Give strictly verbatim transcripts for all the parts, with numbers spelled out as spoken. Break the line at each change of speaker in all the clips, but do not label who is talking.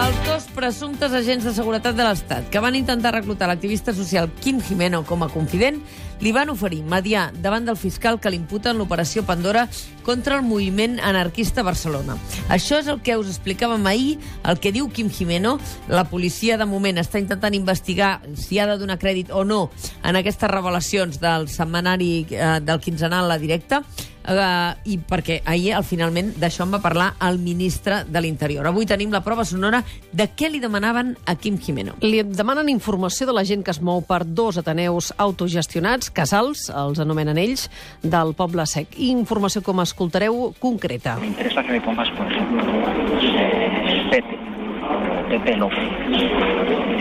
Els dos presumptes agents de seguretat de l'Estat que van intentar reclutar l'activista social Quim Gimeno com a confident li van oferir mediar davant del fiscal que l'imputa en l'operació Pandora contra el moviment anarquista a Barcelona. Això és el que us explicàvem ahir, el que diu Quim Gimeno. La policia, de moment, està intentant investigar si ha de donar crèdit o no en aquestes revelacions del setmanari eh, del quinzenal La Directa, Uh, i perquè ahir, al finalment, d'això en va parlar el ministre de l'Interior. Avui tenim la prova sonora de què li demanaven a Quim Gimeno.
Li demanen informació de la gent que es mou per dos ateneus autogestionats, casals, els anomenen ells, del Poble Sec. I informació, com escoltareu, concreta.
Me interesa que me pongas, por ejemplo, eh, Pepe, Pepe López.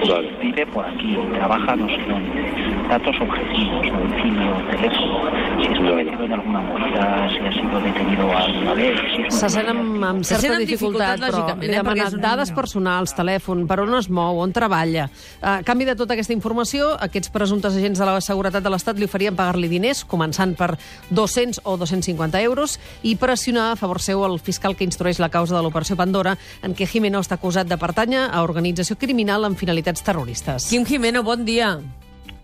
Vale. Vive por aquí, trabaja no sé dónde. Datos objetivos, domicilio, teléfono, si estuvo metido en alguna movida, si ha sido detenido alguna vez... Si
Se sent amb, amb
Se
certa
sent amb
dificultat,
dificultat,
però li
eh,
demanen
un...
dades personals, telèfon, per on es mou, on treballa. A canvi de tota aquesta informació, aquests presumptes agents de la seguretat de l'Estat li oferien pagar-li diners, començant per dos-cents o dos-cents cinquanta euros, i pressionar a favor seu el fiscal que instrueix la causa de l'operació Pandora, en què Gimeno està acusat de pertànyer a organització criminal amb finalitats terroristes.
Quim Gimeno, bon dia.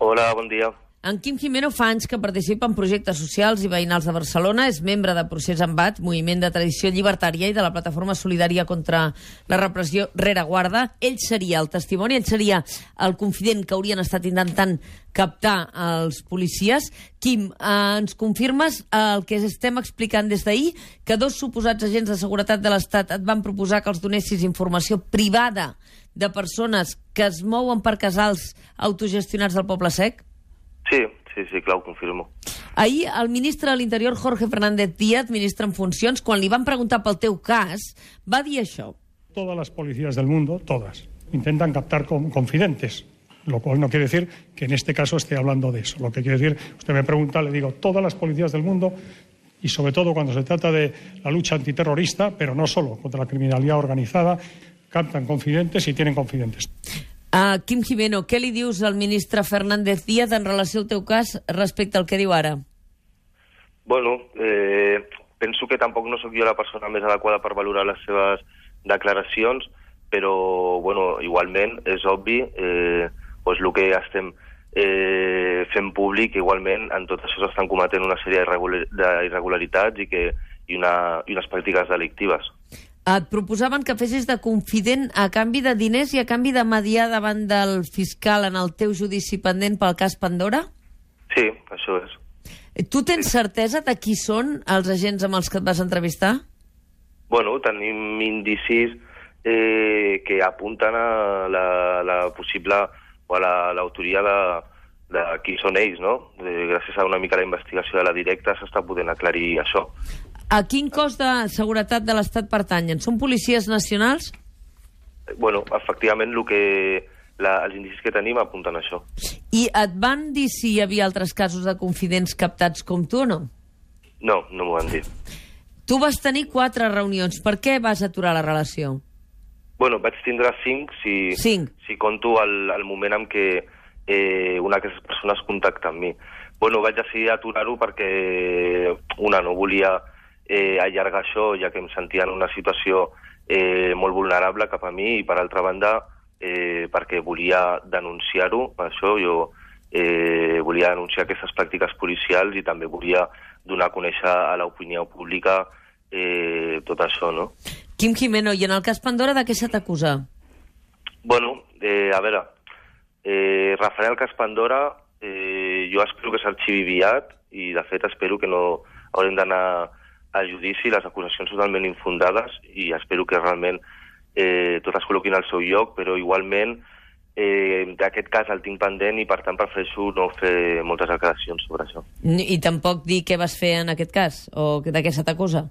Hola, bon dia.
En Quim Gimeno fa anys que participa en projectes socials i veïnals de Barcelona, és membre de Procés Embat, moviment de tradició llibertària, i de la plataforma solidària contra la repressió Rereguarda. Ell seria el testimoni, ell seria el confident que haurien estat intentant captar els policies. Quim, eh, ens confirmes el que estem explicant des d'ahir, que dos suposats agents de seguretat de l'Estat et van proposar que els donessis informació privada de persones que es mouen per casals autogestionats del Poble Sec?
Sí, sí, sí, clar, ho confirmo.
Ahir, el ministre de l'Interior, Jorge Fernández Díaz, ministre en funcions, quan li van preguntar pel teu cas, va dir això.
Todas las policías del mundo, todas, intentan captar con, confidentes, lo cual no quiere decir que en este caso esté hablando de eso. Lo que quiere decir, usted me pregunta, le digo, todas las policías del mundo, y sobre todo cuando se trata de la lucha antiterrorista, pero no solo, contra la criminalidad organizada, captan confidentes y tienen confidentes.
Uh, Quim Gimeno, què li dius al ministre Fernández Díaz en relació al teu cas respecte al que diu ara?
Bueno, eh, penso que tampoc no sóc jo la persona més adequada per valorar les seves declaracions, però, bueno, igualment és obvi, eh, pues, el que estem eh, fent públic, igualment, en tot això s'estan cometent una sèrie d'irregularitats i, que, i, una, i unes pràctiques delictives.
Et proposaven que fessis de confident a canvi de diners i a canvi de mediar davant del fiscal en el teu judici pendent pel cas Pandora?
Sí, això és.
Tu tens certesa de qui són els agents amb els que et vas entrevistar?
Bueno, tenim indicis eh, que apunten a la, la possible o a l'autoria de, de qui són ells, no? Eh, gràcies a una mica la investigació de La Directa s'està podent aclarir això.
A quin cos de seguretat de l'Estat pertanyen? Són policies nacionals?
Bueno, efectivament, el que, la, els indicis que tenim apunten a això.
I et van dir si hi havia altres casos de confidents captats com tu o no?
No, no m'ho van dir.
Tu vas tenir quatre reunions. Per què vas aturar la relació?
Bueno, vaig tindre cinc si,
cinc.
si conto el, el moment en què eh, una d'aquestes persones contacta amb mi. Bueno, vaig decidir aturar-ho perquè una no volia eh, allargar això, ja que em sentia en una situació eh, molt vulnerable cap a mi, i per altra banda eh, perquè volia denunciar-ho, per això jo eh, volia denunciar aquestes pràctiques policials i també volia donar a conèixer a l'opinió pública eh, tot això, no?
Quim Gimeno, i en el cas Pandora de què se t'acusa?
Bueno, eh, a veure, eh, referent al cas Pandora, eh, jo espero que s'arxivi aviat i de fet espero que no haurem d'anar a judici, les acusacions totalment infundades, i espero que realment eh, tot es col·loquin al seu lloc, però igualment eh, d'aquest cas el tinc pendent i per tant prefereixo no fer moltes declaracions sobre això.
I tampoc dir què vas fer en aquest cas? O de què se t'acusa?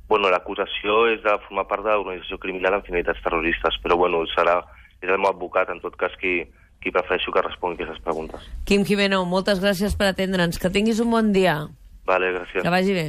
Bueno, l'acusació és de formar part de l'organització criminal amb finalitats terroristes, però bueno, serà, és el meu advocat, en tot cas, qui, qui prefereixo que respongui aquestes preguntes.
Quim Gimeno, moltes gràcies per atendre'ns. Que tinguis un bon dia.
Vale, gràcies.
Que vagi bé.